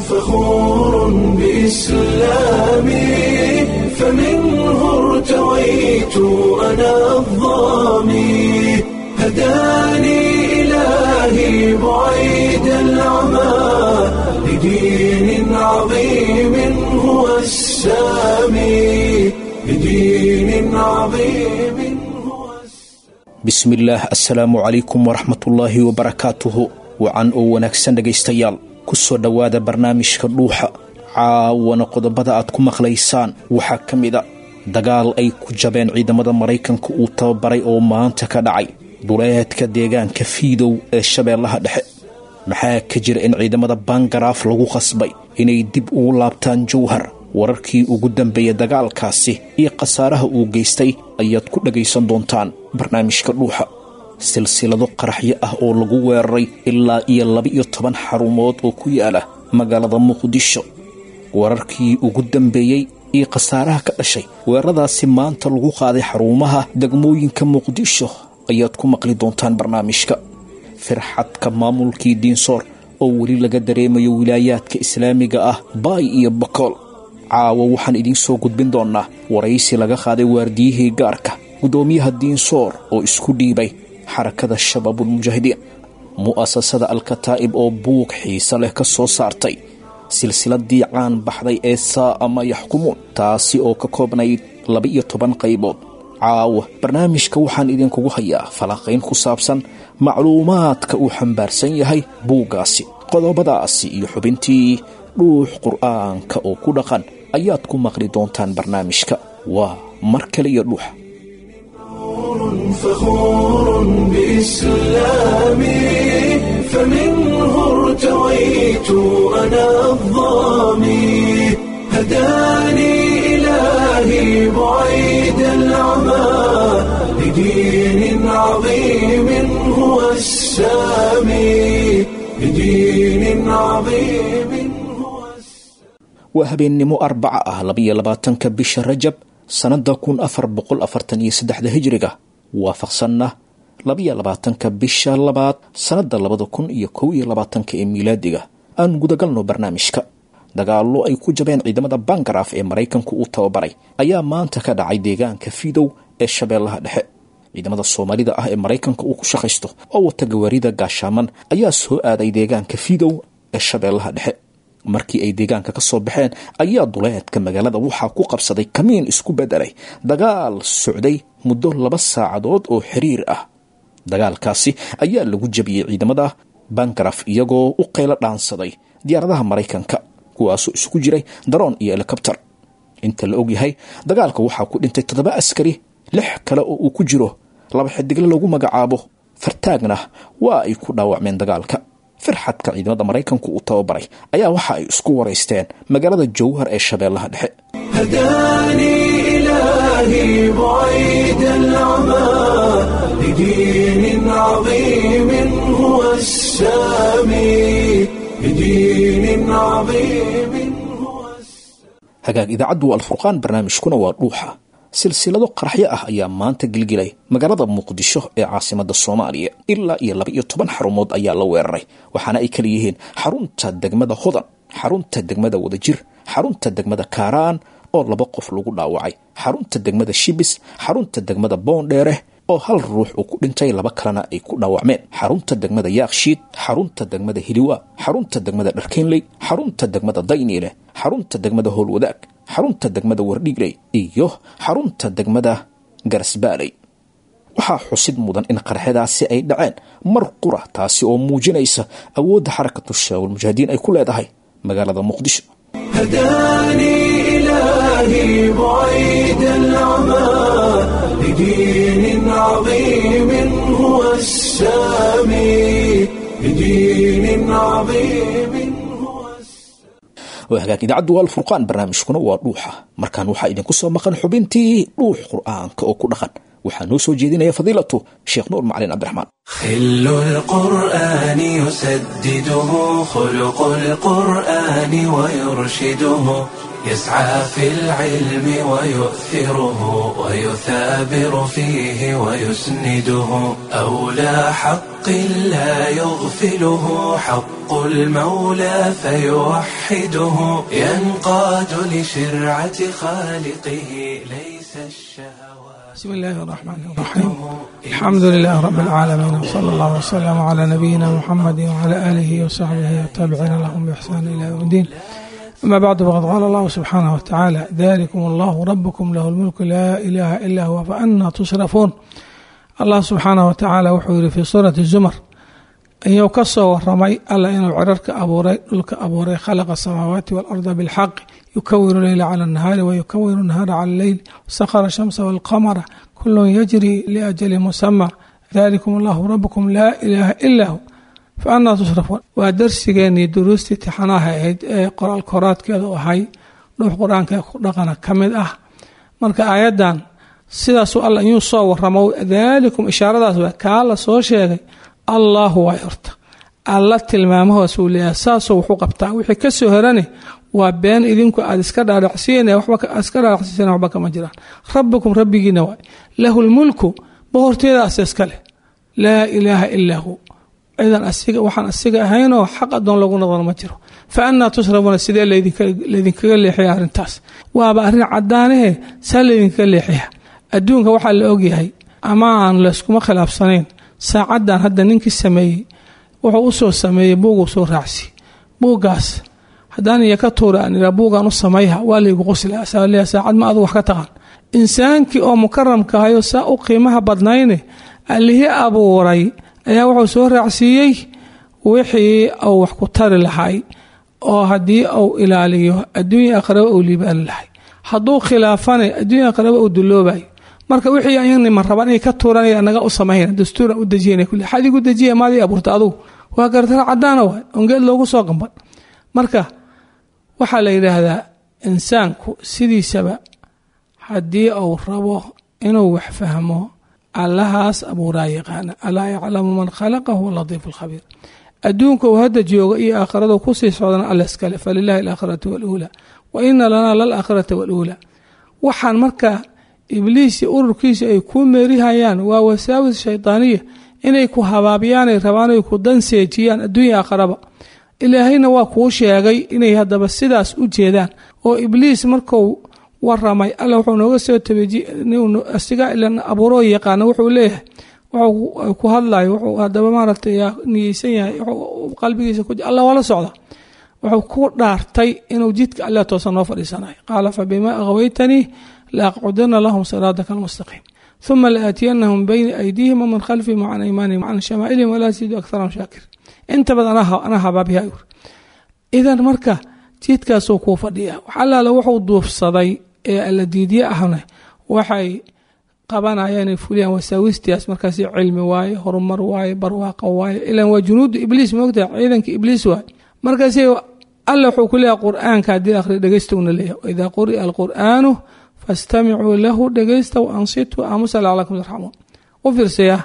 فخور بإسلامي، فمنه ارتويت أنا الظامي، هداني إلهي بعيد العمى لدين عظيم هو السامي، لدين عظيم هو السامي. Bismillaah, assalaamu calaykum waraxmatullaahi wabarakaatuhu. Wacan oo wanaagsan dhegaystayaal, ku soo dhowaada barnaamijka Dhuuxa. Caawana qodobada aad ku maqlaysaan waxaa ka mid a dagaal ay ku jabeen ciidamada Maraykanka uu tababaray oo maanta ka dhacay duleedka deegaanka Fiidow ee Shabeellaha Dhexe. Maxaa ka jira in ciidamada Bangaraaf lagu khasbay inay dib ugu laabtaan Jowhar? Wararkii ugu dambeeya dagaalkaasi iyo khasaaraha uu geystay ayaad ku dhagaysan doontaan barnaamijka Dhuuxa. Silsilado qaraxyo ah oo lagu weeraray ilaa iyo 12 xarumood oo ku yaala magaalada Muqdisho. Wararkii ugu dambeeyey iyo khasaaraha ka dhashay weeraradaasi maanta lagu qaaday xarumaha degmooyinka Muqdisho ayaad ku maqli doontaan barnaamijka. Firxadka maamulkii Diinsoor oo weli laga dareemayo wilaayaadka islaamiga ah Baay iyo Bakool. Caawa waxaan idiin soo gudbin doonnaa waraysi laga qaaday waardiyihii gaarka guddoomiyaha Diinsoor oo isku dhiibay Xarakada Shabaabulmujaahidiin. Mu'asasada Alkataa'ib oo buug xiise leh ka soo saartay silsiladii caan baxday ee Saa'a Ma Yaxkumuun, taasi oo ka koobnayd 12 qaybood. Caawa barnaamijka waxaan idinkugu hayaa falanqayn ku saabsan macluumaadka uu xambaarsan yahay buuggaasi. Qodobadaasi iyo xubintii Dhuux Qur'aanka oo ku dhaqan ayaad ku maqli doontaan barnaamijka. Waa mar kale iyo Dhuuxa. فخور بإسلامي، فمنه ارتويت أنا الظامي، هداني إلهي بعيد العمى لدين عظيم هو السامي، لدين عظيم هو السامي. Waa habeennimo Arbaca ah, 22-ka bisha Rajab sannadda 1443-da Hijriga, waafaqsanna 22-ka bisha labaad sannadda 2021-ka ee miilaadiga. Aan gudagalno barnaamijka. Dagaallo ay ku jabeen ciidamada Bangaraaf ee Maraykanku uu tababaray ayaa maanta ka dhacay deegaanka Fiidow ee Shabeellaha Dhexe. Ciidamada Soomaalida ah ee Maraykanka uu ku shaqaysto oo wata gawaarida gaashaaman ayaa soo aaday deegaanka Fiidow ee Shabeellaha Dhexe. Markii ay deegaanka ka soo baxeen ayaa duleedka magaalada waxaa ku qabsaday kamiin isku bedelay dagaal socday muddo 2 saacadood oo xiriir ah. Dagaalkaasi ayaa lagu jabiyey ciidamada Bangaraf, iyagoo u qaylo dhaansaday diyaaradaha Maraykanka, kuwaasoo isugu jiray daroon iyo helikobter. Inta la ogyahay dagaalka waxaa ku dhintay 7 askari, 6 kale oo uu ku jiro laba xidigle lagu magacaabo Fartaagna waa ay ku dhaawacmeen dagaalka. Firxadka ciidamada Maraykanku uu tababaray ayaa waxa ay isku waraysteen magaalada Jowhar ee Shabeellaha Dhexe. هداني إلهي بعيد العمى لدين عظيم هو السامي، لدين عظيم هو السامي. Hagaag, idaacaddu waa Alfurqaan, barnaamijkuna waa Dhuuxa. Silsilado qaraxyo ah ayaa maanta gilgilay magaalada Muqdisho ee caasimada Soomaaliya. Ilaa iyo 12 xarumood ayaa la weeraray, waxaana ay kala yihiin xarunta degmada Hodan, xarunta degmada Wadajir, xarunta degmada Kaaraan oo 2 qof lagu dhaawacay, xarunta degmada Shibis, xarunta degmada Boondheere oo hal ruux uu ku dhintay, 2 kalena ay ku dhaawacmeen, xarunta degmada Yaakshiid, xarunta degmada Hiliwa, xarunta degmada Dharkeynley, xarunta degmada Dayniile, xarunta degmada Howlwadaag, xarunta degmada Wardhiigley iyo xarunta degmada Garasbaaley. Waxaa xusid mudan in qaraxyadaasi ay dhaceen mar qura, taasi oo muujinaysa awoodda Xarakatu Shabaabulmujaahidiin ay ku leedahay magaalada Muqdisho. هداني إلهي بعيد العمى لدين عظيم هو السامي، لدين عظيم هو السامي. Waa hagaag, idaacaddu waa Alfurqaan, barnaamijkuna waa Dhuuxa. Markaan waxaa idinku soo maqan xubintii Dhuux Qur'aanka oo ku dhaqan. Waxaa noo soo jeedinaya fadiilatu Sheekh Nuur Macalin Cabdiraxmaan. خل القرآن يسدده خلق القرآن ويرشده، يسعى في العلم ويؤثره ويثابر فيه ويسنده، أولى حق لا يغفله حق المولى فيوحده، ينقاد لشرعة خالقه ليس الشهوات. بسم الله الرحمن الرحيم. الحمد لله رب العالمين، وصلى الله وسلم على نبينا محمد وعلى آله وصحبه والتابعين لهم بإحسان إلى يوم الدين. أما بعد، فقد قال الله سبحانه وتعالى: ذلكم الله ربكم له الملك لا إله إلا هو فأنى تصرفون. الله سبحانه وتعالى wuxuu yiri في سورة الزمر ayuu ka soo waramay alla inuu cirarka abuuray, dhulka abuuray, khalaqa samaawaati waalarda bilxaqi, yukawiru leyla cala annahaari wayukawiru nahaara cala alleyl, sakhara shamsa walqamara kullun yajri liajali musama, dalikum allahu rabbukum laa ilaaha ilaa hu fa annaa tusrafuun. Waa darsigeenii duruustii tixanaha ahayd ee qoraal koraadkeedu ahay dhuux qur-aanka ku dhaqana ka mid ah. Marka aayaddan sidaasuu alla inuu soo waramo, daalikum ishaaradaas waa kaa la soo sheegay. Allahu waay horta alla tilmaamahoosuu leeyahay, saasuu wuxu qabtaa. Wixii ka soo herane waa been idinku aad iska dhaadhacsiin, waxba iska dhaadhacsiisana waxba kama jiraan. Rabbukum rabbigiina waay, lahu lmulku boqortooyada ase iska leh, laa ilaaha ilaa hu, cidan asiga waxaan asiga ahaynoo xaq adoon lagu noqon ma jiro. Fa annaa tusrafuuna, sidee laydinkaga leexiya arrintaas? Waaba arrin caddaanahe, saa laydinkaga leexiya. Adduunka waxaa la ogyahay ama aan layskuma khilaafsanayn, saacaddan hadda ninkii sameeyey wuxuu u soo sameeyey buuguu soo raacsi. Buuggaas haddaan iyo ka tuura aan iraa buuggaan u samayha, waa laygu qosla, saaleeya saacad ma adu wax ka taqaan. Insaankii oo mukaramka ahayo saa u qiimaha badnayne allihii abuuray ayaa wuxuu soo raacsiiyey wixii uu wax ku tari lahay, oo haddii uu ilaaliyo adduunya aakhiraba uu liibaani lahay, hadduu khilaafane adduunya aakhiraba uu duloobayo. Marka wixii ayagni ma rabaan inay ka tuuranaya naga u samayna dastuuran u dejiyana kulli xadigu dejiya maadii abuurta adugu waa gartara caddaana waay ongeed loogu soo gamban. Marka waxaa la yidhaahdaa insaanku sidiisaba haddii uu rabo inuu wax fahmo, allahaas abuuraa yaqaana, alaa yaclamu man khalaqa huwa latiifu alkhabiir. Adduunka uu hadda jooga iyo aakhiradu kusii socdana alla iskale, falilahi alaakhiratu waluulaa wa ina lanaa lalaakhirata waluulaa. Waxaan marka ibliis iyo ururkiisa ay ku meerihayaan waa wasaawis shaydaaniya, inay ku habaabiyaanay rabaan ay ku danseejiyaan adduunya aakharaba. Ilaahayna waa kuu sheegay inay haddaba sidaas u jeedaan, oo ibliis markuu waramay alla wuxuu nooga soo tabeejiy asiga ilan abuuroo yaqaana, wuxuu leeyahay wuxuu ku hadlayo, wuxuu haddaba maaragtay yaa niyeysan yahay, wuxuu qalbigiisa ku alla waa la socda. Wuxuu ku dhaartay inuu jidka alle toosan noo fadhiisanayo. Qaala fabima aghwaytanii laaqcudana lahum siraadaka almustaqiim uma laatiyanahum bayna aydiihim wamin khalfihim wacan aymaanihim wacan shamaa'ilihim walaa tajidu aktharahum shaakir. Inta badan anaa habaabiya yur. Idan marka jidkaasuu kuu fadhiya, wax allaala wuxuu duufsaday ee alla diidye ahna waxay qabanayaan inay fuliyaan wasaawistiyaas. Markaasi cilmi waaye, horumar waaye, barwaaqo waaye, ilan waa junuudu ibliis, moogtahay ciidanka ibliis waaye. Markaasi alla wuxuu ku leeyahay qur-aanka haddii akhri dhegeysta una leeyahay, waidaa quri'a alqur'aanu fastamicuu lahu, dhegeysta, wa ansituu, aamusa, lacalakum turxamuun. U fiirsaya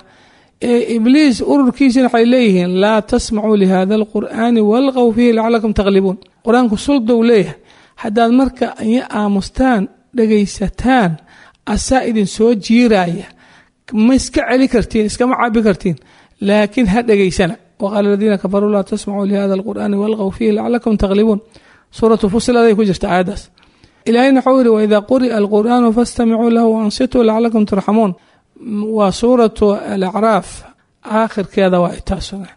ee ibliis ururkiisina waxay leeyihiin laa tasmacuu lihada alqur'aani walqow fiihi lacalakum taglibuun. Qur-aanku suldow leeyahay, haddaad marka iyo aamustaan dhegaysataan asaa idin soo jiiraya, ma iska celi kartiin, iskama cabi kartiin, laakiin ha dhegaysana. Waqaala aladiina kafaruu laa tasmacuu lihada alqur'aani walqow fiihi lacalakum taglibuun. Suuratu fusiladay ku jirta aayaddaas. Ilaahayna wuxuu yidhi waidaa quri'a alqur'aanu fastamicuu lahu waansituu lacalakum turxamuun. Waa suuratu alacraaf aakhirkeeda waa taasuna.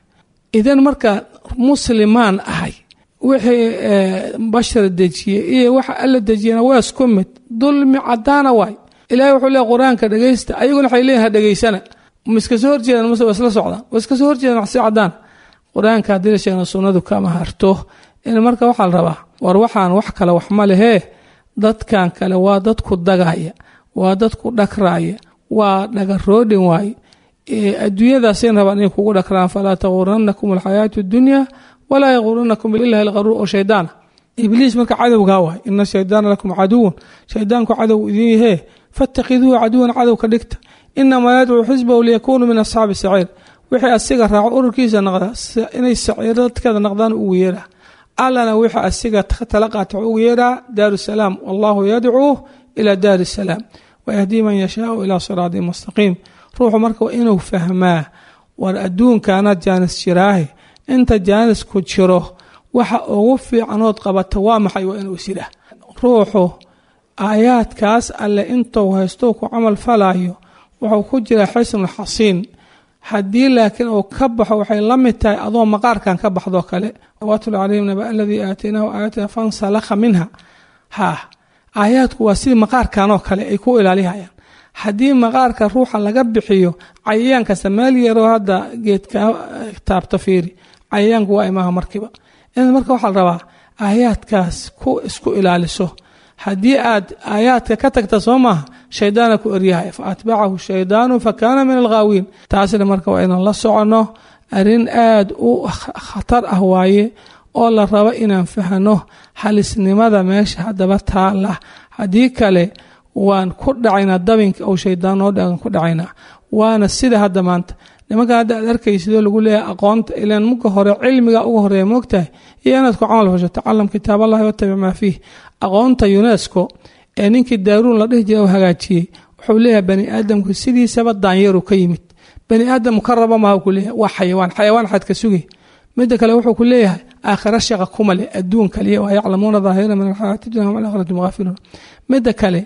Idan marka muslimaan ahay wixii bashar dejiyey iyo waxa alla dejiyena waa isku mid, dulmi caddaana waay. Ilahay wuxuu leeyahy qur-aanka dhegeysta, ayaguna waxay leeyihin ha dhegeysana. Ma iska soo horjeedaan mase waa isla socdaan? Waa iska soo horjeedaan wax si caddaan. Qur-aanka haddii la sheegna sunnadu kama harto. In marka waxaa la rabaa war waxaan wax kale wax ma lehee, dadkan kale waa dadku dagaya, waa dadku dhagraaya, waa dhagaroodhin waaye. Adduunyadaasay rabaan inay kugu dhagraan. Falaa taguranakum alxayaatu addunya walaa yaguranakum billahi algharuur, oo shaydaana ibliis marka cadowgaa waay. Ina shaydaana lakum caduwun, shaydaanku cadow idin yahee, fattakiduuhu caduwan, cadow ka dhigta. Inamaa yadcuu xisbahu liyakuunuu min asxaabi saciir. Wixii asiga raaco ururkiisa noqda inay saciiro dadkeeda noqdaan ugu yeeraa. Allana wixii asiga tala qaata ugu yeeraa daarusalaam. Wallahu yadcuu ilaa daari salaam wayahdii man yashaau ilaa siraatin mustaqiim. Ruuxu marka waa inuu fahmaa, war adduunkaanaad jaanis jiraahe, inta jaanisku jiro waxa ugu fiicanood qabata waa maxay? Waa inuu isida ruuxu aayaadkaas alle intuu haysto ku camal falayo wuxuu ku jiraa xisnul xasiin. Haddii laakiin uu ka baxo waxay la mid tahay adoo maqaarkan ka baxdoo kale. Watlu calayhim naba aladii aataynaahu aayatina fansalakha minha. Ha, aayaadku waa sidii maqaarkanoo kale ay ku ilaalihayaan. Haddii maqaarka ruuxa laga bixiyo cayayaan kasta meel yaroo hadda geedka taabto fiiri, cayayaanku waa imaha markiiba. In marka waxaa la rabaa aayaadkaas ku isku ilaaliso. Haddii aad aayaadka ka tagta soo maaha, shaydaana ku eryahay, fa atbacahu shaydaanu fa kaana min alghaawiin. Taasna marka waa inaan la soconno, arrin aad u khatar ah waaye oo la rabo inaan fahno halisnimada meesha haddaba taala. Haddii kale waan ku dhacaynaa dabinka ou shaydaan noo dhagan ku dhacaynaa. Waana sida hadda maanta nimankan hadda aad arkaysidoo lagu leeyahay aqoonta, ilaan muka hore cilmiga uga horeeya moogtahay iyo inaad ku camal fasho. Tacalam kitaab allahi watabic maa fiih. Aqoonta UNESCO ee ninkii daaruun la dhihi jiray oo hagaajiyey wuxuu leeyahay bani aadamku sidiisaba daanyaru ka yimid, bani aadam ka raba maha ku leeyahay, waa xayawaan, xayawaan xad ka sugay. Midda kale wuxuu ku leeyahay aakhira shaqa kuma leh, adduun kaliya, waa yaclamuuna daahira min alxayaati dunya hum alaakhirati mughaafiluun. Midda kale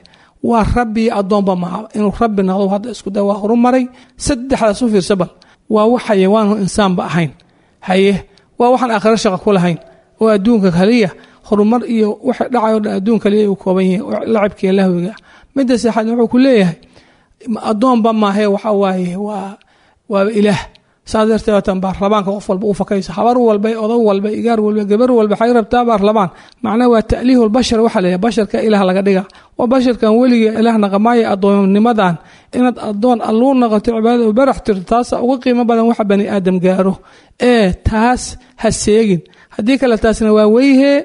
waa rabbi addoonba maha, inuu rabbi noqdo hadda isku day waa horumaray. Saddexdaas u fiirsa, bal waa wax xayawaanu insaanba ahayn, haye waa waxaan aakhira shaqa ku lahayn oo adduunka kaliya horumar iyo waxa dhacayo dhan adduun kaliya uu kooban yahay oo lacabkiiyo lahwiga. Midda saxaad wuxuu ku leeyahay addoonba maahe, waxa waaye waa ilaah. Saas darteed waatan baarlamaanka qof walba u fakayso, habar walba, odag walba, igaar walba, gabar walba waxay rabtaa baarlamaan. Macnaha waa ta'liihul bashar, waxaa la yidhaha basharka ilaah laga dhiga. Waa basharkan weligii ilaah naqamaaya. Addoonnimadan inaad addoon alluu noqoto, cibaadada u barax tirto, taasa uga qiimo badan waxa bani aadam gaaro. Ee taas ha seegin, haddii kale taasna waa weyhee.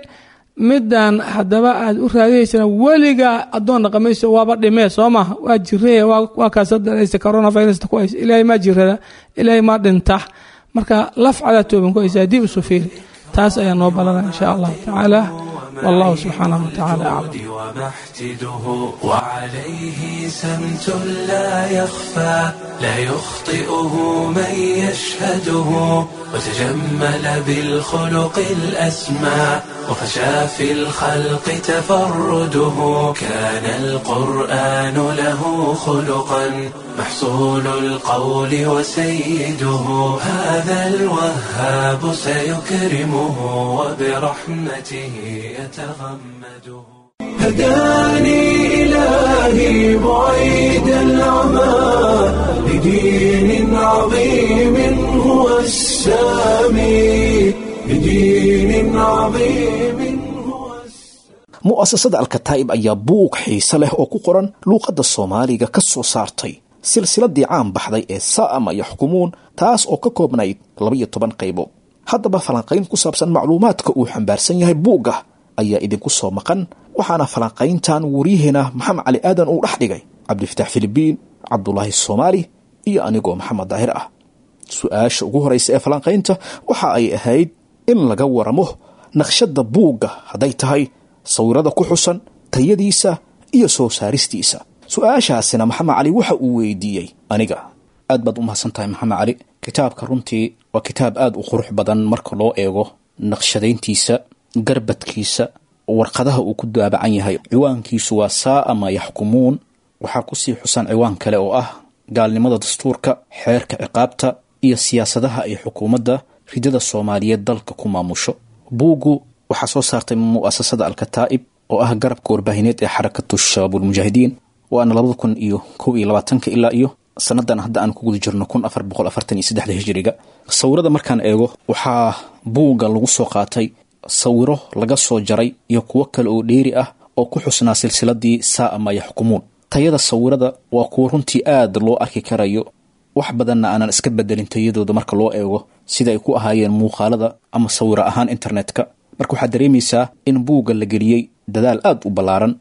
Midaan haddaba aad u raadihaysana weligaa addoon dhaqamayso, waaba dhimee soo maaha, waa jiree, waa kaasa daraysa coronavirus ku haysa. Ilaahay maa jirada, ilaahay maa dhinta, marka laf cadaa tooban ku haysa dib isu fiiri. Taas ayaa noo balana insha allahu tacaala. Wallahu subxaanahu watacaala aclam. ومحتده وعليه سمت لا يخفى لا يخطئه من يشهده وتجمل بالخلق الأسمى وفشى في الخلق تفرده كان القرآن له خلقا محصول القول وسيده هذا الوهاب سيكرمه وبرحمته يتغمده هداني إلهي بعيد العمى لدين عظيم هو السامي لدين عظيم هو السامي. Mu'asasada Alkataa'ib ayaa buug xiise leh oo ku qoran luuqadda Soomaaliga ka soo saartay silsiladii caan baxday ee Saama Yaxkumuun, taas oo ka koobnayd 12 qaybood. Haddaba falanqayn ku saabsan macluumaadka uu xambaarsan yahay buugga ayaa idinku soo maqan, waxaana falanqayntan wariyaheena Maxamed Cali Aadan uu dhex dhigay Cabdifatax Filibiin, Cabdulaahi Soomaali iyo anigoo Maxamed Daahir ah. Su-aasha ugu horeysa ee falanqaynta waxa ay ahayd in laga waramo naqshadda buugga, hadday tahay sawirada ku xusan, tayadiisa iyo soo saaristiisa. Su-aashaasina Maxamed Cali waxa uu weydiiyey aniga. Aad baad u mahadsan tahay Maxamed Cali. Kitaabka runtii waa kitaab aad u qurux badan marka loo eego naqshadayntiisa, garbadkiisa, warqadaha uu ku daabacan yahay. Ciwaankiisu waa Saaa Maa Yaxkumuun. Waxaa kusii xusan ciwaan kale oo ah gaalnimada dastuurka, xeerka ciqaabta iyo siyaasadaha ay xukuumadda ridada Soomaaliyeed dalka ku maamusho. Buuggu waxaa soo saartay mu'asasada Alkataa'ib oo ah garabka warbaahineed ee Xarakatu Shabaabulmujaahidiin, waana 2021-ka ilaa iyo sanadan hadda aan ku guda jirno 1443-da hijiriga. Sawirada markaan eego, waxaa buugga lagu soo qaatay sawiro laga soo jaray iyo kuwo kale oo dheeri ah oo ku xusnaa silsiladii Saaa Maa Yaxkumuun. Tayada sawirada waa kuwo runtii aad loo arki karayo, wax badanna aanan iska bedelin tayadooda marka loo eego sida ay ku ahaayeen muuqaalada ama sawiro ahaan internetka. Marka waxaad dareemaysaa in buugga la geliyey dadaal aad u ballaaran.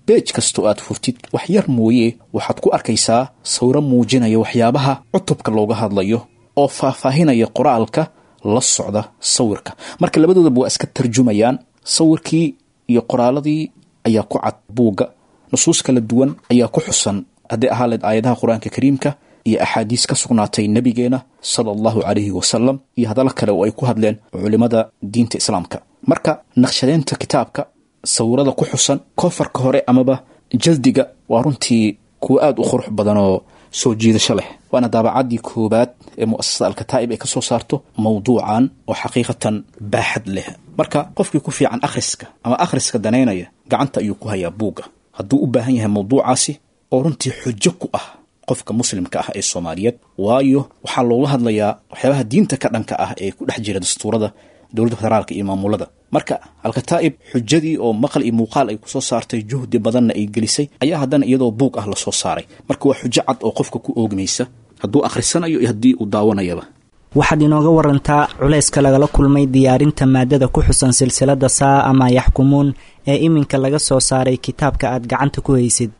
Beej kastoo aad furtid wax yar mooye waxaad ku arkaysaa sawiro muujinaya waxyaabaha cutubka looga hadlayo oo faahfaahinaya qoraalka la socda sawirka. Marka labadoodaba waa iska tarjumayaan, sawirkii iyo qoraaladii ayaa ku cad buugga. Nusuus kala duwan ayaa ku xusan, hadday ahaa leed aayadaha Qur-aanka Kariimka iyo axaadiis ka sugnaatay nabigeena sala allahu calayhi wasalam iyo hadallo kale oo ay ku hadleen culimada diinta islaamka. Marka naqshadeynta kitaabka, sawirada ku xusan kofarka hore amaba jaldiga waa runtii kuwo aada u qurux badan oo soo jiidasho leh, waana daabacaddii koowaad ee mu'asasada Alkataa'ib ay ka soo saarto mawduucan oo xaqiiqatan baaxad leh. Marka qofkii ku fiican akhriska ama akhriska danaynaya gacanta ayuu ku hayaa buugga hadduu u baahan yahay mawduucaasi oo runtii xujo ku ah qofka muslimka ah ee Soomaaliyeed, waayo waxaa looga hadlayaa waxyaabaha diinta ka dhanka ah ee ku dhex jira dastuurada dowladda federaalka iyo maamulada. Marka Alkataa'ib xujadii oo maqal iyo muuqaal ay kusoo saartay, juhdi badanna ay gelisay, ayaa haddana iyadoo buug ah lasoo saaray. Marka waa xujo cad oo qofka ku oogmaysa hadduu akhrisanayo iyo haddii uu daawanayaba. Waxaad inooga warantaa culayska lagala kulmay diyaarinta maadada ku xusan silsilada Saa ama Yaxkumuun ee iminka laga soo saaray kitaabka aad gacanta ku haysid.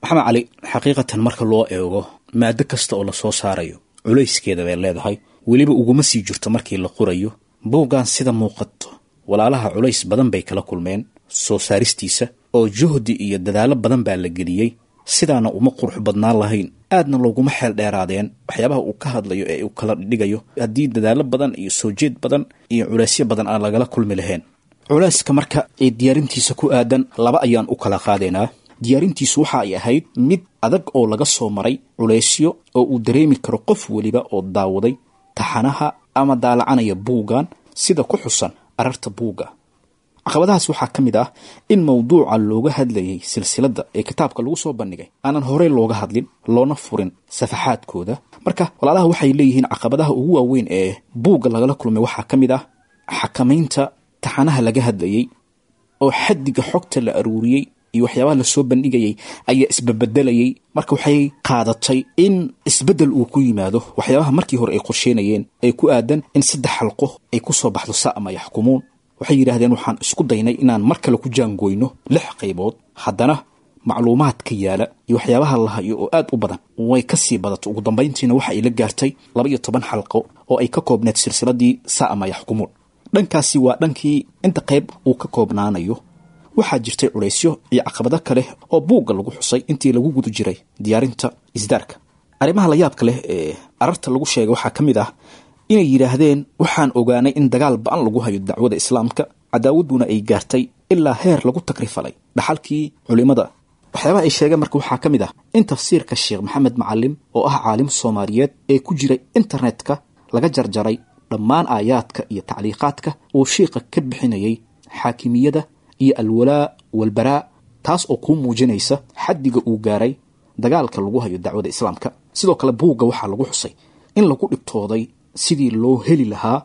Maxamed Cali, xaqiiqatan marka loo eego maado kasta oo lasoo saarayo culayskeeda bay leedahay, weliba uguma sii jirto markii la qorayo. Buuggan sida muuqato walaalaha culays badan bay kala kulmeen soo saaristiisa, oo juhdi iyo dadaallo badan baa la geliyey. Sidaana uma qurux badnaan lahayn, aadna looguma xeel dheeraadeen waxyaabaha uu ka hadlayo ee uu kala dhigayo haddii dadaallo badan iyo soo jeed badan iyo culaysyo badan aan lagala kulmi lahayn. Culayska marka ee diyaarintiisa ku aadan laba ayaan u kala qaadaynaa. Diyaarintiisu waxa ay ahayd mid adag oo laga soo maray culaysyo oo uu dareemi karo qof weliba oo daawaday taxanaha ama daalacanaya buuggan sida ku xusan ararta buugga. Caqabadahaas waxaa ka mid ah in mawduuca looga hadlayay silsiladda ee kitaabka lagu soo bandhigay aanan horey looga hadlin, loona furin safaxaadkooda. Marka walaalaha waxay leeyihiin caqabadaha ugu waaweyn ee buugga lagala kulmay waxaa ka mid ah xakamaynta taxanaha laga hadlayay, oo xaddiga xogta la aruuriyey iyo waxyaabaha lasoo bandhigayay ayaa isbabedelayay. Marka waxay qaadatay in isbeddel uu ku yimaado waxyaabaha markii hore ay qorsheynayeen ee ku aadan in 3 xalqo ay ku soo baxdo Saa ama Yaxkumuun. Waxay yidhaahdeen waxaan isku daynay inaan mar kale ku jaangoyno 6 qaybood, haddana macluumaadka yaala iyo waxyaabaha la hayo oo aad u badan way ka sii badato. Ugu dambayntiina waxa ay la gaartay 12 xalqo oo ay ka koobneed silsiladii Saa ama Yaxkumuun. Dhankaasi waa dhankii inta qayb uu ka koobnaanayo. Waxaa jirtay culaysyo iyo caqabado kale oo buugga lagu xusay intii lagu guda jiray diyaarinta isdaarka. Arrimaha layaabka leh ee ararta lagu sheegay waxaa ka mid ah inay yidhaahdeen waxaan ogaanay in dagaal ba-an lagu hayo dacwada islaamka, cadaawadduna ay gaartay ilaa heer lagu takrifalay dhaxalkii culimada. Waxyaabaha ay sheegeen marka waxaa ka mid ah in tafsiirka Sheekh Maxamed Macalim oo ah caalim Soomaaliyeed ee ku jiray internetka laga jarjaray dhammaan aayaadka iyo tacliiqaadka uu shiiqa ka bixinayay xaakimiyada iyo alwalaa walbaraa, taas oo kuu muujinaysa xaddiga uu gaaray dagaalka lagu hayo dacwada islaamka. Sidoo kale buugga waxaa lagu xusay in lagu dhibtooday sidii loo heli lahaa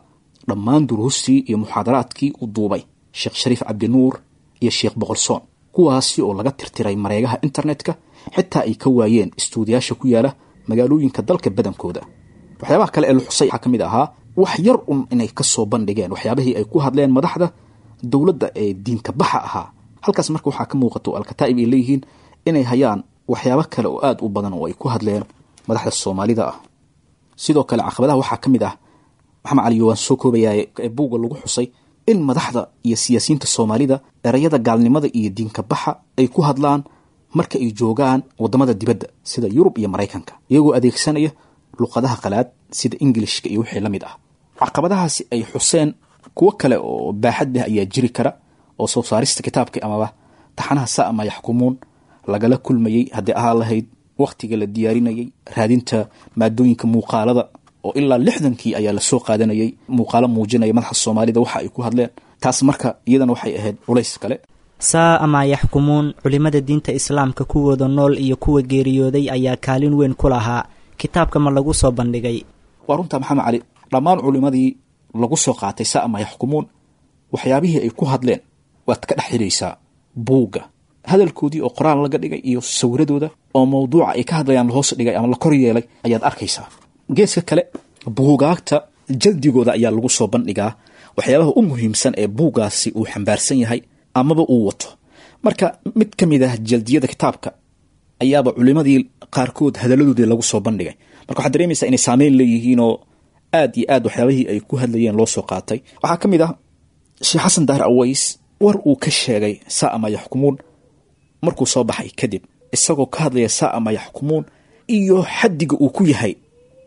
dhammaan duruustii iyo muxaadaraadkii uu duubay Sheekh Shariif Cabdinuur iyo Sheekh Boqolsoon, kuwaasi oo laga tirtiray mareegaha internetka, xitaa ay ka waayeen istuudiyaasha ku yaala magaalooyinka dalka badankooda. Waxyaabaha kale ee la xusay waxaa ka mid ahaa wax yar un inay ka soo bandhigeen waxyaabihii ay ku hadleen madaxda dowladda ee diinka baxa ahaa. Halkaas marka waxaa ka muuqato Alkataa'ib ay leeyihiin inay hayaan waxyaabo kale oo aada u badan oo ay ku hadleen madaxda Soomaalida ah. Sidoo kale caqabadaha waxaa ka mid ah, Maxamed Cali, waan soo koobayaa, ee buugga lagu xusay in madaxda iyo siyaasiyiinta Soomaalida erayada gaalnimada iyo diinka baxa ay ku hadlaan marka ay joogaan waddamada dibadda sida Yurub iyo Maraykanka, iyagoo adeegsanaya luqadaha qalaad sida Ingilishka iyo wixii la mid ah. Caqabadahaasi ay xuseen kuwo kale oo baaxad leh ayaa jiri kara oo soo saarista kitaabka amaba taxanaha Saa ama Yaxkumuun lagala kulmayey, haddii ahaa lahayd wakhtiga la diyaarinayay, raadinta maadooyinka muuqaalada oo ilaa 60kii ayaa lasoo qaadanayay muuqaalo muujinaya madaxa Soomaalida waxa ay ku hadleen. Taas marka iyadana waxay ahayd culays kale. Saa ama Yaxkumuun culimada diinta islaamka kuwooda nool iyo kuwa geeriyooday ayaa kaalin weyn ku lahaa. Kitaabka ma lagu soo bandhigay? Waa runtaa Maxamed Cali, dhammaan culimadii lagu soo qaatay Saa ama Yaxkumuun waxyaabihii ay ku hadleen waad ka dhex xidhaysaa buugga, hadalkoodii oo qoraal laga dhigay iyo sawiradooda oo mawduuca ay ka hadlayaan la hoos dhigay ama la kor yeelay ayaad arkaysaa. Geeska kale buugaagta jaldigooda ayaa lagu soo bandhigaa waxyaabaha u muhiimsan ee buuggaasi uu xambaarsan yahay amaba uu wato. Marka mid ka mid ah jaldiyada kitaabka ayaaba culimadii qaarkood hadaladoodii lagu soo bandhigay. Marka waxaad dareemaysaa inay saameyn leeyihiin oo aad iyo aad waxyaabihii ay ku hadlayeen loo soo qaatay. Waxaa ka mid ah Sheekh Xasan Daahir Aways war uu ka sheegay saa ma yaxkumuun markuu soo baxay kadib, isagoo ka hadlaya saa ma yaxkumuun iyo xaddiga uu ku yahay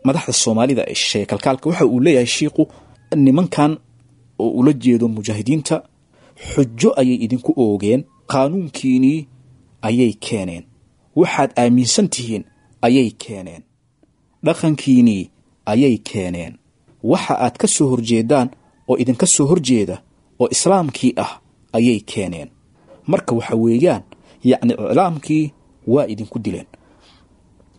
madaxda Soomaalida ee shisheeye kalkaalka. Waxa uu leeyahay shiiqu, nimankan oo ula jeedo mujaahidiinta xujo ayay idinku oogeen, qaanuunkiinii ayay keeneen, waxaad aaminsan tihiin ayay keeneen, dhaqankiinii ayay keeneen, waxa aad ka soo horjeedaan oo idinka soo horjeeda oo islaamkii ah ayay keeneen. Marka waxa weeyaan yacni iclaamkii waa idinku dileen.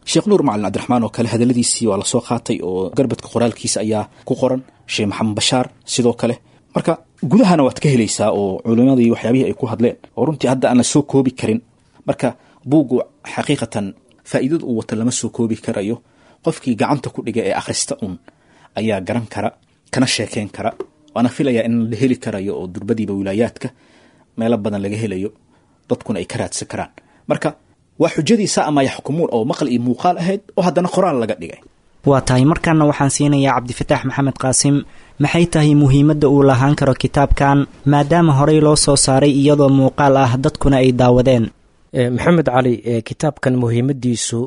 Sheekh Nuur Macalin Cabdiraxmaan oo kale hadalladiisii waa lasoo qaatay oo garbadka qoraalkiisa ayaa ku qoran. Sheekh Maxamed Bashaar sidoo kale. Marka gudahana waad ka helaysaa oo culimadii waxyaabihii ay ku hadleen oo runtii hadda aan la soo koobi karin. Marka buuggu xaqiiqatan faa'iidada uu wato lama soo koobi karayo. Qofkii gacanta ku dhiga ee akhrista un ayaa garan kara kana sheekeyn kara, waana filayaa in la heli karayo oo durbadiiba wilaayaadka meelo badan laga helayo, dadkuna ay ka raadsan karaan. Marka waa xujadii saa ama yaxkumuun oo maqal iyo muuqaal ahayd oo haddana qoraal laga dhigay. Waa tahay. Markaana waxaan siinayaa Cabdifataax Maxamed Qaasim. Maxay tahay muhiimadda uu lahaan karo kitaabkan maadaama horey loo soo saaray iyadoo muuqaal ah dadkuna ay daawadeen? Maxamed Cali, kitaabkan muhiimadiisu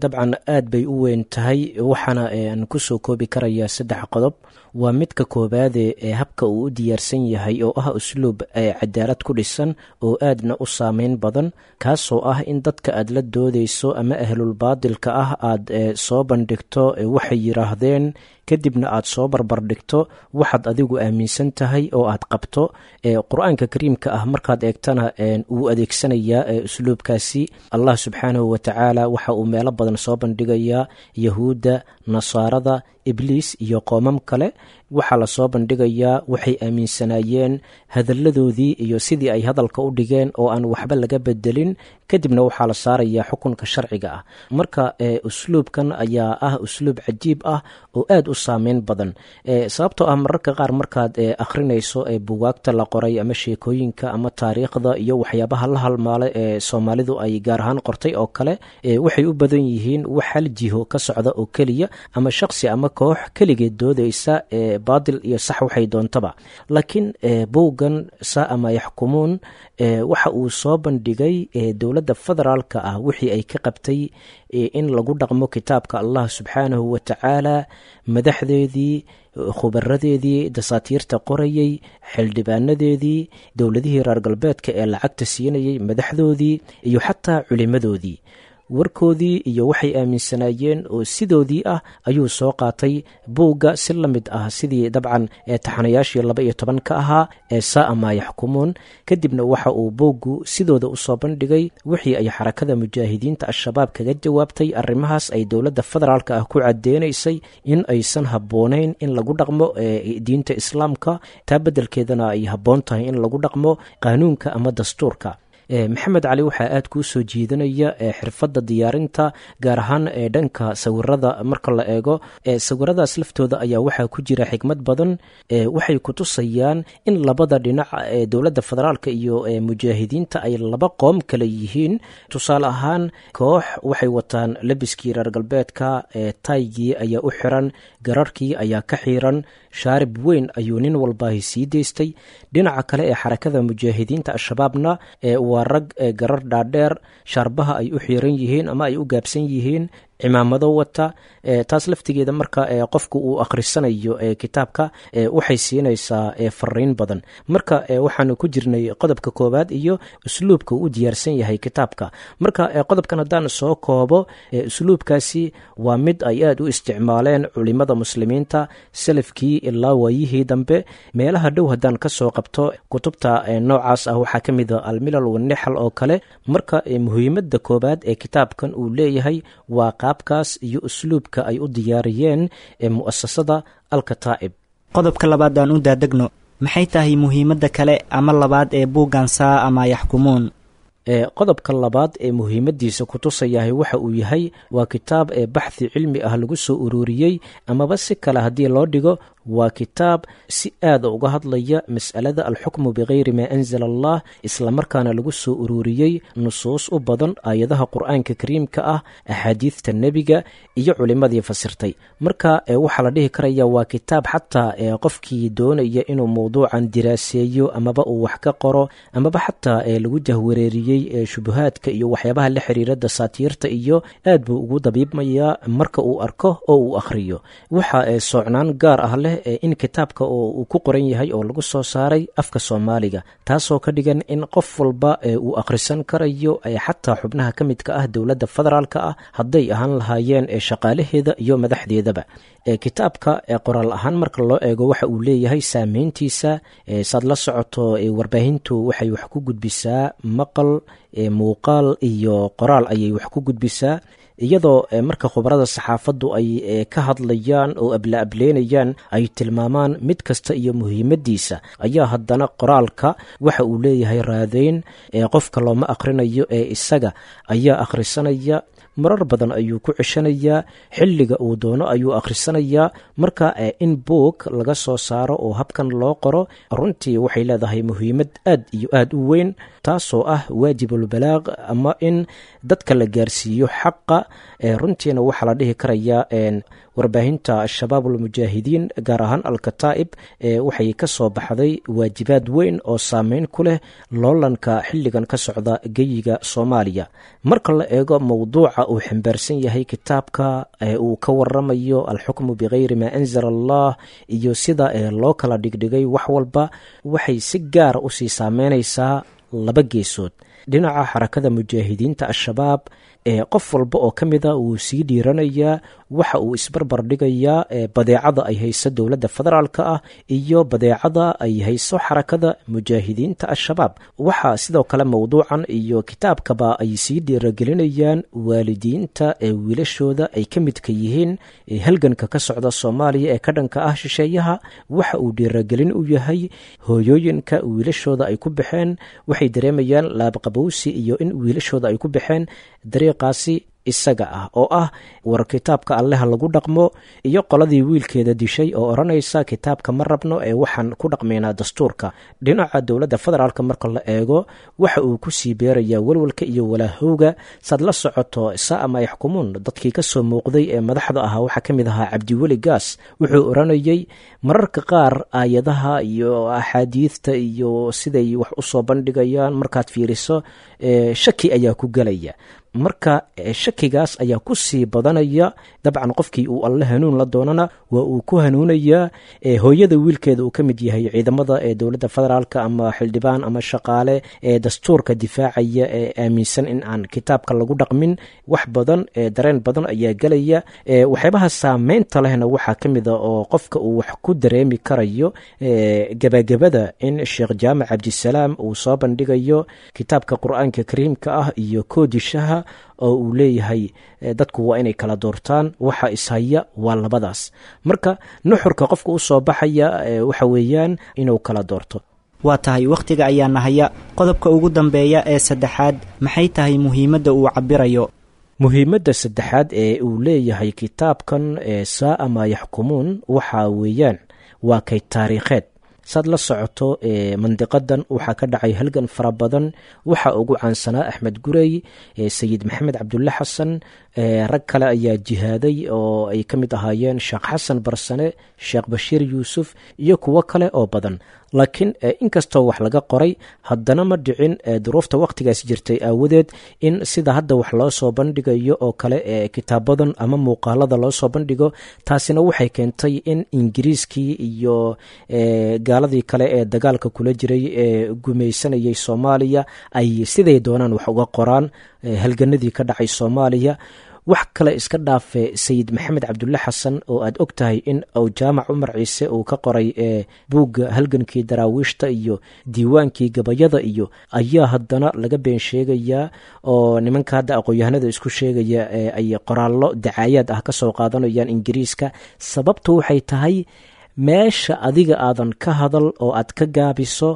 dabcan aad bay u weyn tahay, waxaana aan kusoo koobi karayaa 3 qodob. Waa midka koobaade ee habka uu u diyaarsan yahay oo ah usluub cadaalad ku dhisan oo aadna u saameyn badan, kaasoo ah in dadka aad la doodeyso ama ahlulbaadilka ah aad soo bandhigto waxay yiraahdeen, kadibna aad soo barbardhigto waxaad adigu aaminsan tahay oo aad qabto. Qur-aanka kariimka ah markaad eegtana wuu adeegsanayaa usluubkaasi. Allah subxaanahu watacaala waxa uu meelo badan soo bandhigayaa yahuudda, nasaarada, ibliis iyo qoomam kale. Waxaa lasoo bandhigayaa waxay aaminsanaayeen, hadalladoodii iyo sidii ay hadalka u dhigeen oo aan waxba laga bedelin, kadibna waxaa la saarayaa xukunka sharciga ah. Marka usluubkan ayaa ah usluub cajiib ah oo aad u saameyn badan, sababtoo ah mararka qaar markaad akhrinayso bugaagta la qoray ama sheekooyinka ama taariikhda iyo waxyaabaha la halmaala ee Soomaalidu ay gaar ahaan qortay oo kale, waxay u badan yihiin wax hal jiho ka socda oo keliya, ama shaqsi ama koox keligeed doodaysa baadil iyo sax waxay doontaba. Laakiin buuggan saa ama yaxkumuun waxa uu soo bandhigay dowladda federaalka ah wixii ay ka qabtay in lagu dhaqmo kitaabka Allah subxaanahu wa tacaala, madaxdeedii, khubaradeedii, dasaatiirta qorayey, xildhibaanadeedii, dowladihii reer galbeedka ee lacagta siinayey madaxdoodii, iyo xataa culimadoodii, warkoodii iyo waxay aaminsanaayeen oo sidoodii ah ayuu soo qaatay buugga, si la mid ah sidii dabcan taxanayaashii 12 ka ahaa ee saa maa yaxkumuun. Kadibna waxa uu buuggu sidooda usoo bandhigay wixii ay xarakada mujaahidiinta Al-Shabaab kaga jawaabtay arrimahaas ay dowladda federaalka ah ku cadeynaysay in aysan habboonayn in lagu dhaqmo diinta islaamka, taa beddelkeedana ay habboon tahay in lagu dhaqmo qaanuunka ama dastuurka. Maxamed Cali, waxaa aad kuu soo jiidanaya xirfadda diyaarinta, gaar ahaan dhanka sawirada. Marka la eego sawiradaas laftooda ayaa waxaa ku jira xikmad badan. Waxay kutusayaan in labada dhinac ee dowladda federaalka iyo mujaahidiinta ay laba qoom kale yihiin. Tusaale ahaan, koox waxay wataan labiskii reer galbeedka, taygii ayaa u xiran, gararkii ayaa ka xiran, shaarib weyn ayuu nin walbaahi sii deystay. Dhinaca kale ee xarakada mujaahidiinta Al-Shabaabna waa rag garar dhaadheer, shaarbaha ay u xiiran yihiin ama ay u gaabsan yihiin, cimaamado wata. Taas laftigeeda marka qofku uu akhrisanayo kitaabka waxay siinaysaa fariin badan. Marka waxaanu ku jirnay qodobka koowaad iyo usluubka uu u diyaarsan yahay kitaabka. Marka qodobkan haddaan soo koobo, usluubkaasi waa mid ay aad u isticmaaleen culimada muslimiinta salafkii ilaa waayihii dambe. Meelaha dhow haddaan ka soo qabto kutubta noocaas ah waxaa ka mid a Almilal Wanixal oo kale. Marka muhiimadda koowaad ee kitaabkan uu leeyahay waa qaabkaas iyo usluubka ay u diyaariyeen mu'asasada Alkataa'ib. Qodobka labaad aan u daadegno. Maxay tahay muhiimadda kale ama labaad ee buuggan saa ama yaxkumuun? Qodobka labaad ee muhiimadiisa kutusayahay waxa uu yahay waa kitaab ee baxthi cilmi ah lagu soo ururiyey, amaba si kale haddii loo dhigo Waa kitaab si aada uga hadlaya mas'alada alxukmu bikayri maa anzala allah, islamarkaana lagu soo ururiyey nusuus u badan aayadaha qur-aanka kariimka ah, axaadiidta nebiga iyo culimmadii fasirtay. Marka waxaa la dhihi karaya waa kitaab xataa qofkii doonaya inuu mowduucan diraaseeyo amaba uu wax ka qoro amaba xataa lagu jahwareeriyey shubuhaadka iyo waxyaabaha la xiriira dasaatiirta iyo aad buu ugu dabiibmayaa marka uu arko oo uu akhriyo. Waxa soocnaan gaar ah leh in kitaabka oo uu ku qoran yahay oo lagu soo saaray afka Soomaaliga, taasoo ka dhigan in qof walba uu akhrisan karayo, xataa xubnaha ka midka ah dowladda federaalka ah hadday ahaan lahaayeen shaqaalaheeda iyo madaxdeedaba. Kitaabka qoraal ahaan marka loo eego waxa uu leeyahay saameyntiisa. Saad la socoto, warbaahintu waxay wax ku gudbisaa maqal, muuqaal iyo qoraal ayay wax ku gudbisaa, iyadoo marka khubarada saxaafaddu ay ka hadlayaan oo abla-ableynayaan ay tilmaamaan mid kasta iyo muhiimaddiisa, ayaa haddana qoraalka waxa uu leeyahay raadeyn. Qofka looma akhrinayo ee isaga ayaa akhrisanaya, marar badan ayuu ku ceshanayaa, xilliga uu doono ayuu akhrisanayaa. Marka in buog laga soo saaro oo habkan loo qoro runtii waxay leedahay muhiimad aad iyo aad u weyn, taasoo ah waajibulbalaaq ama in dadka la gaarsiiyo xaqa. Runtiina waxaa la dhihi karayaa warbaahinta Al-Shabaab almujaahidiin, gaar ahaan Al-Kataa'ib, waxay ka soo baxday waajibaad weyn oo saameyn ku leh loolanka xilligan ka socda geyiga Soomaaliya. Marka la eego mowduuca uu xambaarsan yahay kitaabka uu ka waramayo, alxukmu bikayri maa anzala allah, iyo sida loo kala dhigdhigay wax walba, waxay si gaara usii saameynaysaa laba geesood. Dhinaca Xarakada Mujaahidiinta Al-Shabaab, qof walba oo ka mida wuu sii dhiiranayaa, waxa uu isbarbar dhigayaa badeecada ay hayso dowladda federaalka ah iyo badeecada ay hayso Xarakada Mujaahidiinta Al-Shabaab. Waxaa sidoo kale mowduucan iyo kitaabkaba ay sii dhiiragelinayaan waalidiinta ee wiilashooda ay ka midka yihiin halganka ka socda Soomaaliya ee ka dhanka ah shisheeyaha. Waxa uu dhiiragelin u yahay hooyooyinka wiilashooda ay ku baxeen, waxay dareemayaan laabqabowsi iyo in wiilashooda ay ku baxeen dariiqaasi isaga ah oo ah war kitaabka Alleha lagu dhaqmo, iyo qoladii wiilkeeda dishay oo odhanaysa kitaabka ma rabno ee waxaan ku dhaqmaynaa dastuurka. Dhinaca dowladda federaalk marka la eego, waxa uu ku sii beerayaa walwalka iyo walaahowga. Saad la socoto, saa ama yaxkumuun dadkii ka soo muuqday ee madaxda ahaa waxaa ka mid ahaa Cabdiweli Gaas. Wuxuu odhanayay mararka qaar aayadaha iyo axaadiidta iyo siday wax usoo bandhigayaan markaad fiiriso shaki ayaa ku gelaya. Marka shakigaas ayaa ku sii badanaya. Dabcan qofkii uu Alle hanuun la doonana waa uu ku hanuunayaa. Hooyada wiilkeeda uu ka mid yahay ciidamada ee dowladda federaalk ama xildhibaan ama shaqaale ee dastuurka difaacaya ee aaminsan in aan kitaabka lagu dhaqmin, wax badan dareen badan ayaa gelaya. Waxyaabaha saameynta lehna waxaa ka mid a oo qofka uu wax ku dareemi karayo gabagabada in Sheekh Jaamac Cabdisalaam uu soo bandhigayo kitaabka Qur-aanka Kariimka ah iyo koodishaha oo uu leeyahay dadku waa inay kala doortaan, waxa ishaya waa labadaas. Marka nuxurka qofka u soo baxaya waxa weeyaan inuu kala doorto. Waa tahay, wakhtiga ayaa nahaya. Qodobka ugu dambeeya ee saddexaad, maxay tahay muhiimadda uu cabbirayo? Muhiimadda saddexaad ee uu leeyahay kitaabkan Saaa Maa Yaxkumuun waxaa weeyaan waa kay taariikheed. Saad la socoto, mandiqadan waxaa ka dhacay halgan fara badan. Waxaa ugu caansanaa Axmed Gurey, Sayid Maxamed Cabdulle Xasan, rag kale ayaa jihaaday oo ay ka mid ahaayeen Sheekh Xasan Barsane, Sheekh Bashiir Yuusuf iyo kuwo kale oo badan. Laakiin inkastoo wax laga qoray, haddana ma dhicin duruufta wakhtigaas jirtay aawadeed in sida hadda wax loo soo bandhigayo oo kale ee kitaabadan ama muuqaalada loo soo bandhigo. Taasina waxay keentay in Ingiriiskii iyo gaaladii kale ee dagaalka kula jiray ee gumaysanayay Soomaaliya ay siday doonaan wax uga qoraan halganadii ka dhacay Soomaaliya. Wax kale iska dhaafe, Sayid Maxamed Cabdulle Xasan oo aad og tahay in uu Jaamac Cumar Ciise uu ka qoray buugga halgankii daraawiishta iyo diiwaankii gabayada iyo ayaa haddana laga been sheegayaa, oo nimanka hadda aqoon-yahanada isku sheegaya ay qoraallo dacaayaad ah ka soo qaadanayaan Ingiriiska. Sababtu waxay tahay meesha adiga aadan ka hadal oo aad ka gaabiso,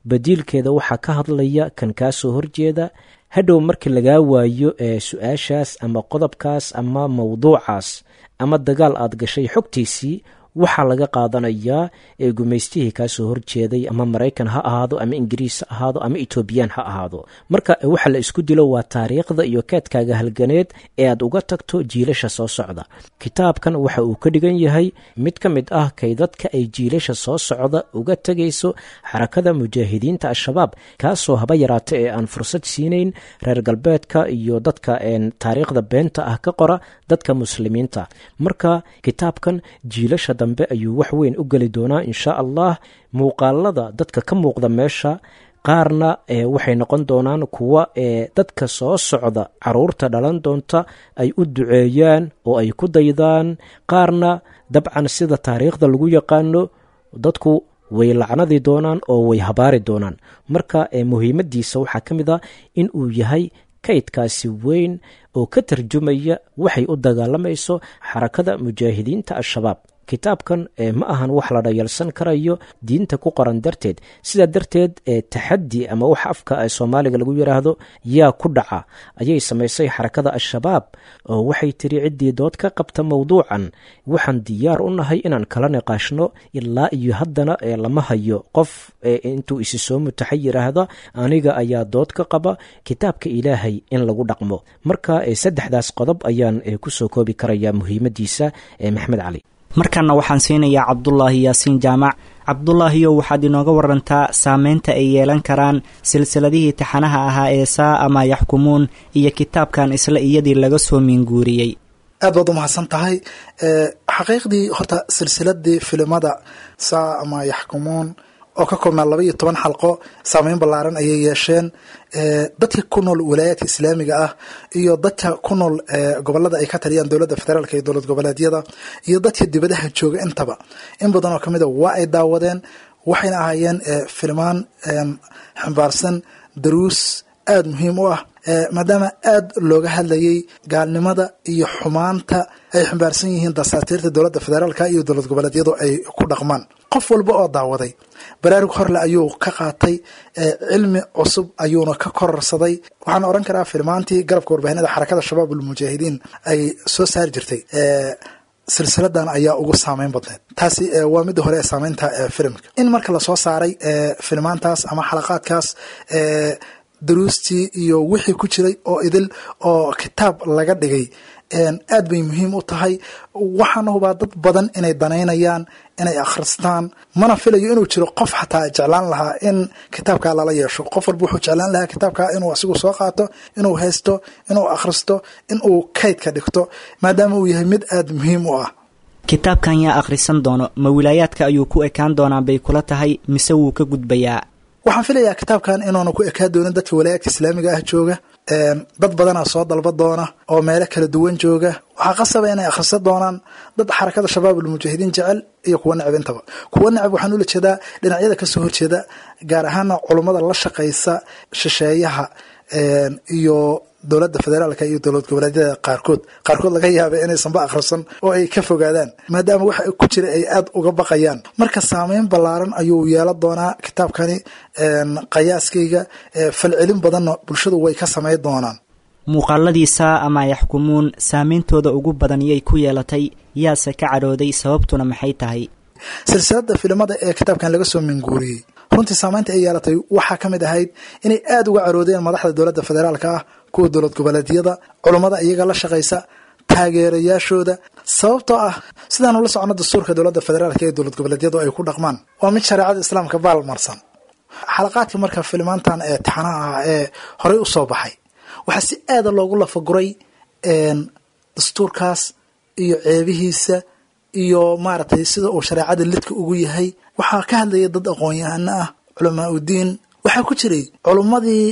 badiilkeeda waxaa ka hadlaya kan kaa soo horjeeda. Hadhow markii lagaa waayo su-aashaas ama qodobkaas ama mowduucaas ama dagaal aad gashay xogtiisii, Waxaa laga qaadanayaa gumaystihii kaasoo horjeeday, ama Maraykan ha ahaado, ama Ingiriis ha ahaado, ama Etoobiyaan ha ahaado. Marka waxa la isku dilo waa taariikhda iyo keedkaaga halganeed ee aad uga tagto jiilasha soo socda. Kitaabkan waxa uu ka dhigan yahay mid ka mid ah kaydadka ay jiilasha soo socda uga tegayso Xarakada Mujaahidiinta Al-Shabaab, kaasoo haba yaraata ee aan fursad siinayn reer galbeedka iyo dadka taariikhda beenta ah ka qora dadka muslimiinta. Marka kitaabkan jiilasha dambe ayuu wax weyn u geli doonaa, insha Allah. Muuqaalada dadka ka muuqda meesha qaarna waxay noqon doonaan kuwa dadka soo socda, caruurta dhalan doonta, ay u duceeyaan oo ay ku daydaan. Qaarna dabcan sida taariikhda lagu yaqaano dadku way lacnadi doonaan oo way habaari doonaan. Marka muhiimadiisa waxaa ka mid a in uu yahay kaydkaasi weyn oo ka tarjumaya waxay u dagaalamayso Xarakada Mujaahidiinta Al-Shabaab. Kitaabkan ma ahan wax la dhayalsan karayo diinta ku qoran darteed. Sidaa darteed taxaddi ama wax afka Soomaaliga lagu yidhaahdo yaa ku dhaca ayay samaysay Xarakada Al-Shabaab, oo waxay tiri ciddii dood ka qabta mowduucan waxaan diyaar u nahay inaan kala niqaashno. Ilaa iyo haddana lama hayo qof intuu isi soo mutaxay yidhaahda aniga ayaa dood ka qaba kitaabka Ilaahay in lagu dhaqmo. Marka saddexdaas qodob ayaan kusoo koobi karaya muhiimadiisa, Maxamed Cali. Markanna waxaan siinayaa Cabdulaahi Yaasiin Jaamac. Cabdulaahiyow, waxaad inooga warantaa saameynta ay yeelan karaan silsiladihii taxanaha ahaa ee Saa ama Yaxkumuun iyo kitaabkan isla iyadii laga soo miinguuriyey. Aad baad u mahadsan tahay. Xaqiiqdii horta silsiladii filimada Saa ama Yaxkumuun oo ka koobnaa 12 xalqo saameyn ballaaran ayay yeesheen. Dadka ku nool walaayaadka islaamiga ah iyo dadka ku nool gobolada ay ka taliyaan dowladda federaalka iyo dowlad goboleedyada iyo dadka dibadaha jooga intaba, in badan oo kamid a waa ay daawadeen, waxayna ahaayeen filmaan xambaarsan daruus aada muhiim u ah, maadaama aada looga hadlayay gaalnimada iyo xumaanta ay xambaarsan yihiin dasaatiirta dowladda federaalka iyo dowlad goboleedyadu ay ku dhaqmaan. Qof walba oo daawaday baraarug horle ayuu ka qaatay, cilmi cusub ayuuna ka kororsaday. Waxaan oran karaa filmaantii garabka warbaahinada Xarakada Shabaab Ulmujaahidiin ay soo saari jirtay, silsiladan ayaa ugu saameyn badneed. Taasi waa midda hore ee saameynta filimka. In marka lasoo saaray filmaantaas ama xalaqaadkaas, daruustii iyo wixii ku jiray oo idil oo kitaab laga dhigay aad bay muhiim u tahay. Waxaana hubaa dad badan inay danaynayaan inay akhristaan, mana filayo inuu jiro qof xataa jeclaan lahaa in kitaabkaa lala yeesho. Qof walba wuxuu jeclaan lahaa kitaabkaa inuu asigu soo qaato, inuu haysto, inuu akhristo, inuu kaydka dhigto, maadaama uu yahay mid aada muhiim u ah. Kitaabkan yaa akhrisan doono? Ma wilaayaadka ayuu ku ekaan doonaa bay kula tahay mise wuu ka gudbayaa? Waxaan filayaa kitaabkan inuuna ku ekaa doonin dadka walaayaadka islaamiga ah jooga. Dad badanaa soo dalba doona oo meelo kala duwan jooga. Waxaa qasaba inay akhrisan doonaan dad Xarakada Shabaab Ulmujaahidiin jecel iyo kuwa necab intaba. Kuwa necab waxaan ula jeedaa dhinacyada kasoo horjeeda, gaar ahaana culummada la shaqaysa shisheeyaha iyo dowladda federaalka iyo dowlad goboleedyada qaarkood laga yaabay inaysanba akhrisan oo ay ka fogaadaan, maadaama waxa ku jira ay aada uga baqayaan. Marka saameyn ballaaran ayuu yeelan doonaa kitaabkani qiyaaskayga, falcelin badanna bulshadu way ka samayn doonaan. Muuqaaladii Saa ama Yaxkumuun saameyntooda ugu badan yay ku yeelatay, yaase ka cadhooday, sababtuna maxay tahay? Silsilada filimada ee kitaabkan laga soo minguuriyey runtii saameynta ay yeelatay waxaa ka mid ahayd inay aada uga caroodeen madaxda dowladda federaalka ah, kuwa dowlad goboleedyada, culummada iyaga la shaqaysa, taageerayaashooda, sababtoo ah sidaanu la socono dastuurka dowladda federaalka ee dowlad goboleedyadu ay ku dhaqmaan waa mid shareecada islaamka baalmarsan. Xalaqaadka marka filmaantan ee taxanaha ah ee horey u soo baxay waxaa si aada loogu lafaguray dastuurkaas iyo ceebihiisa iyo maaragtay sida uu shareecada lidka ugu yahay. Waxaa ka hadlaya dad aqoon-yahano ah, culamaa udiin. Waxaa ku jiray culummadii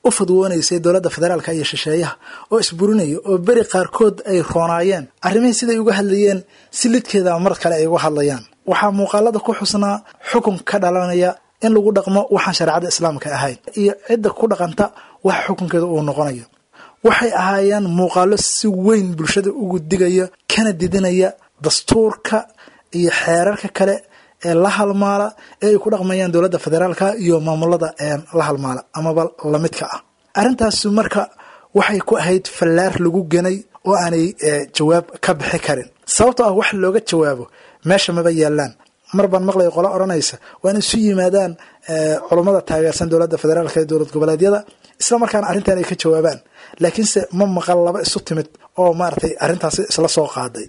u fadwoonaysay dowladda federaalka iyo shisheeyaha oo isburinaya, oo beri qaarkood ay roonaayeen arrimihii siday uga hadlayeen si lidkeeda mar kale ay uga hadlayaan. Waxaa muuqaalada ku xusnaa xukun ka dhalanaya in lagu dhaqmo waxaan shareecada islaamka ahayn iyo cidda ku dhaqanta waxa xukunkeeda uu noqonayo. Waxay ahaayeen muuqaalo si weyn bulshada ugu digaya kana didinaya dastuurka iyo xeerarka kale ee la halmaala ee ay ku dhaqmayaan dowladda federaalka iyo maamulada la halmaala amaba lamidka ah. Arrintaasi marka waxay ku ahayd fallaar lagu ganay oo aanay jawaab ka bixi karin, sababtoo ah wax looga jawaabo Meesha maba yaalaan. Mar baan maqlaya qolo odhanaysa waa in isu yimaadaan culummada taageersan dowladda federaalka ee dowlad goboleedyada, isla markaana arrintan ay ka jawaabaan, laakiinse ma maqal laba isu timid oo maaragtay arrintaasi isla soo qaaday.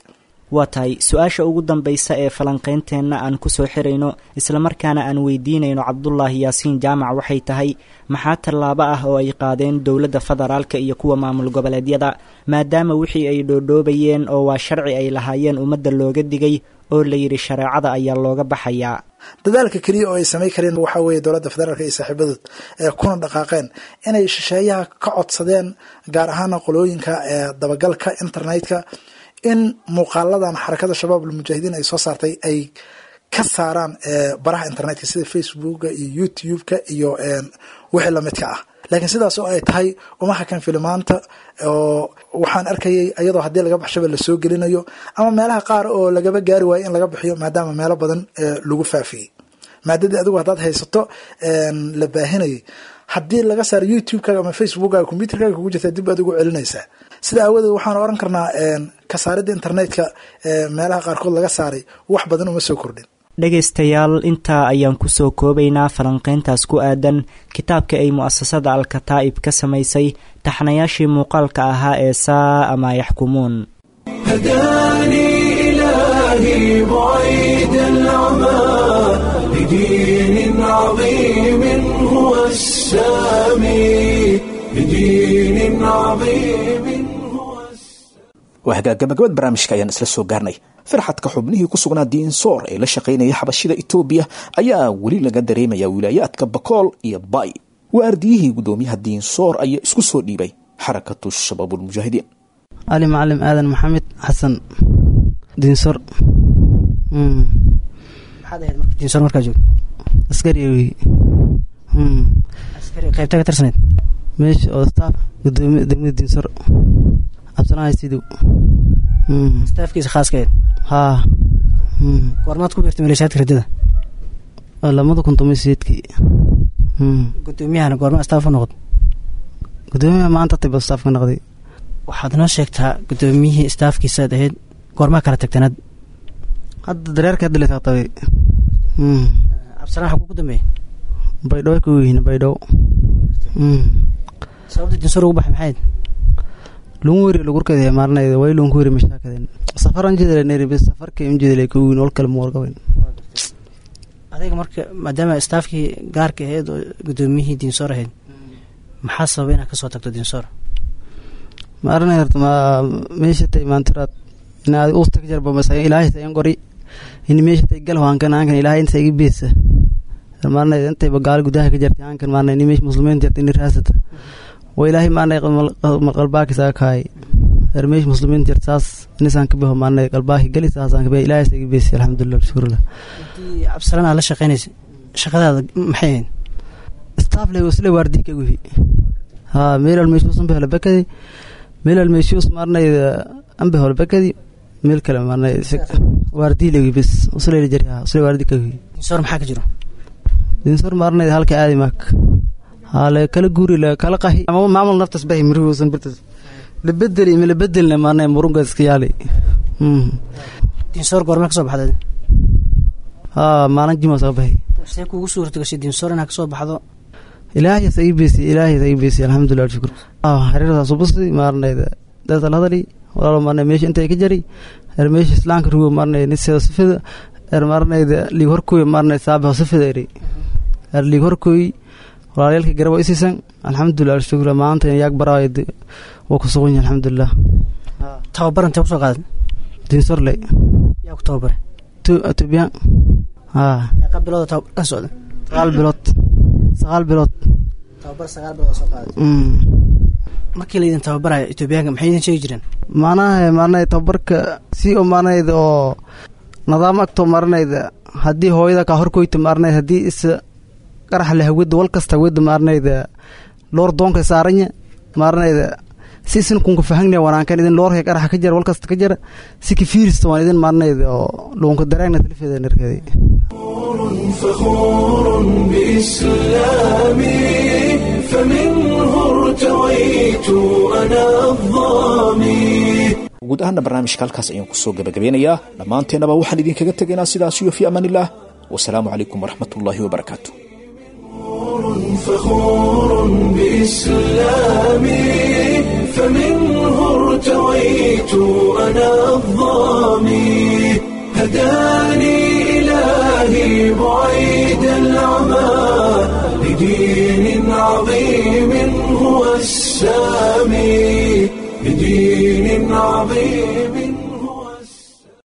Waa tahay su-aasha ugu dambaysa ee falanqaynteenna aan kusoo xirayno islamarkaana aan weydiinayno Cabdulaahi Yaasiin Jaamac waxay tahay, maxaa tallaabo ah oo ay qaadeen dowladda federaalka iyo kuwa maamul goboleedyada, maadaama wixii ay dhoodhoobayeen oo waa sharci ay lahaayeen ummadda looga digay oo la yidhi shareecada ayaa looga baxayaa? Dadaalka keliya oo ay samay kareen waxaa weeye dowladda federaalka iyo saaxiibadood ee kuna dhaqaaqeen inay shisheeyaha ka codsadeen, gaar ahaana qolooyinka ee dabagalka internetka, in muuqaaladan Xarakada Shabaab Almujaahidiin ay soo saartay ay ka saaraan baraha internetka sida Facebooka iyo YouTube-ka iyo wixii lamidka ah. Laakiin sidaas oo ay tahay uma hakan filimaanta, oo waxaan arkayay iyadoo haddii laga baxshaba lasoo gelinayo ama meelaha qaar oo lagaba gaari waayo in laga bixiyo, maadaama meelo badan lagu faafiyey maadadii adigu haddaad haysato la baahinayay. Haddii laga saaro YouTube-kaaga ama Facebookkaaga, computerkaaga kugu jirta dib baad ugu celinaysaa. Sida aawadeed waxaan oran karnaa ka saaridda internetka meelaha qaarkood laga saaray wax badan uma soo kordhin. Dhegaystayaal, intaa ayaan kusoo koobaynaa falanqayntaas ku aadan kitaabka ay mu'asasada Al-Kataa'ib ka samaysay taxnayaashii muuqaalka ahaa ee saa ama yaxkumuun. هداني إلهي بعيد العمى لدين عظيم هو السامي، لدين عظيم هو السامي. Waa hagaag, gabagabad barnaamijka ayaan isla soo gaarnay. Firxadka xubnihii ku sugnaa Diinsoor ee la shaqaynaya xabashida Itoobiya ayaa weli laga dareemaya wilaayaadka Bakool iyo Bay. Waardiyihii guddoomiyaha Diinsoor ayaa isku soo dhiibay Xarakatu Shabaabulmujaahidiin. Cali Macalim Aadan Maxamed Xasan, Diinsor. Maxaad ahayd marka Diinsoor markaa joogto? Askari wey. Askari qaybta ka tirsaneyd? Meesha oo staff gudoomiye degmada Diinsor, Cabdisalaam Sidow. Staafkiisa khaaska ahayd? Haa. Goormaad ku biirtay maleeshiyaadka riddada? 2018-kii. Gudoomiyahana goorma staff u noqod? Gudoomiyaha maanta tiba staff ka noqday. Waxaad noo sheegtaa, gudoomiyihii staafkiisaad ahayd, goormaa kala tagtanaad? Hadda dareerka hadda la taqtabay. Cabdisalaan xaguu ku dambeeyey? Baydhabo ku yihiin, Baydhabo. Sababta Diinsoor ugu baxay maxay ahayd? Lungu weri lugurkade maarinayda way lungu weri mashaakadeen safaran jedele neri bis safarka im jedele ku wiin wal kale muwargaben. Adiga marka maadaama staafkii gaarka ahayd oo gudoomiyihii Diinsoor ahayd, maxaa sababay inaad kasoo tagto Diinsoor? Ma arinay horta ma meesha tay maantiraad inaad usta ka jarbo masa Ilaahay sayan qori in meesha tay gal hankan hankan Ilaahay inta iga beesa maarnay intay bagaal gudaha ka jartay hankan maarnay in meesha muslimiin jartay in raasata wa Ilaahay maarnay qalbaaki saakaay er meesha muslimiin jartay saas inisaan ka baho maarnay qalbaaki gali saasaan ka baho Ilaahay saga beesa, alxamdulillah, shukrullah. Intii Cabdisalaan aad la shaqeynaysay shaqadaada maxay ahayd? Staff le wasle waardi ka guhi ha meel al meesha usan bahla bakadi meel al meesha us maarnay an bahla bakadi meel kale maarnay waardi le bis usle le jari ha usle waardi ka guhi. Diinsoor maxaa ka jiro? Diinsoor maarnay halka aadi mak ha le kala guuri le kala qahi ama maamul naftas bahi miruhu usan birtas la bedeli ma la bedelna maarnay murunga iska yaali. Diinsoor goorma kasoo baxday? Ha maalin jima soo bahi. See kuugu suurta gashay Diinsoor inaad kasoo baxdo? Ilaahay sa ii beesay, Ilaahay sa ii beesay, alxamdulillah, shukr. Xiriirdaas ubasi maarnay dad la hadali walaalo maarnay meesha intay ka jari er meesha islaamka rugo maarnay nisada sifada er maarnay liig horkooy maarnay saaba sifada eri er liig horkooy walaalayalka garab isiisan, alxamdulillah, shukr. Maanta yaag baraay waa ku sugan yahay, alxamdulillah. Tababar intee kusoo qaaday? Diinsorley. Yaa ku tababaray? Etoobiyaan haa. Meeqa bilood oo tababar ka socda? 9 bilood, 9 bilood. Tababar 9 bilood oo soo qaaday. Markii laydin tababarayo Etoobiyaanka maxay idin sheegi jireen? Macnaha maarnay tababarka si oo maarnayda oo nidaam agtoo maarnayda haddii hooyada kaa horkoyta maarnay haddii is qarax leh hawada wal kasta hawada maarnayda loor doonka saaranya maarnayda si isin kunka fahangnaya wanaankan idin loorka qaraxa ka jara wal kasta ka jara si ka fiirista waan idin maarnayda oo luunka dareegna talifeeda narkaday. فخور بإسلامي، فمنه ارتويت أنا الظامي. Guud ahaana barnaamijka halkaas ayaan kusoo gabagabeynayaa. Dhammaanteennaba waxaan idinkaga tegaynaa sidaas iyo fii amaanillaah. Wasalaamu calaykum waraxmatullaahi wabarakaatu. فخور بإسلامي، فمنه ارتويت أنا الظامي، هداني إلهي بعيد العمى لدين عظيم هو السامي، لدين عظيم.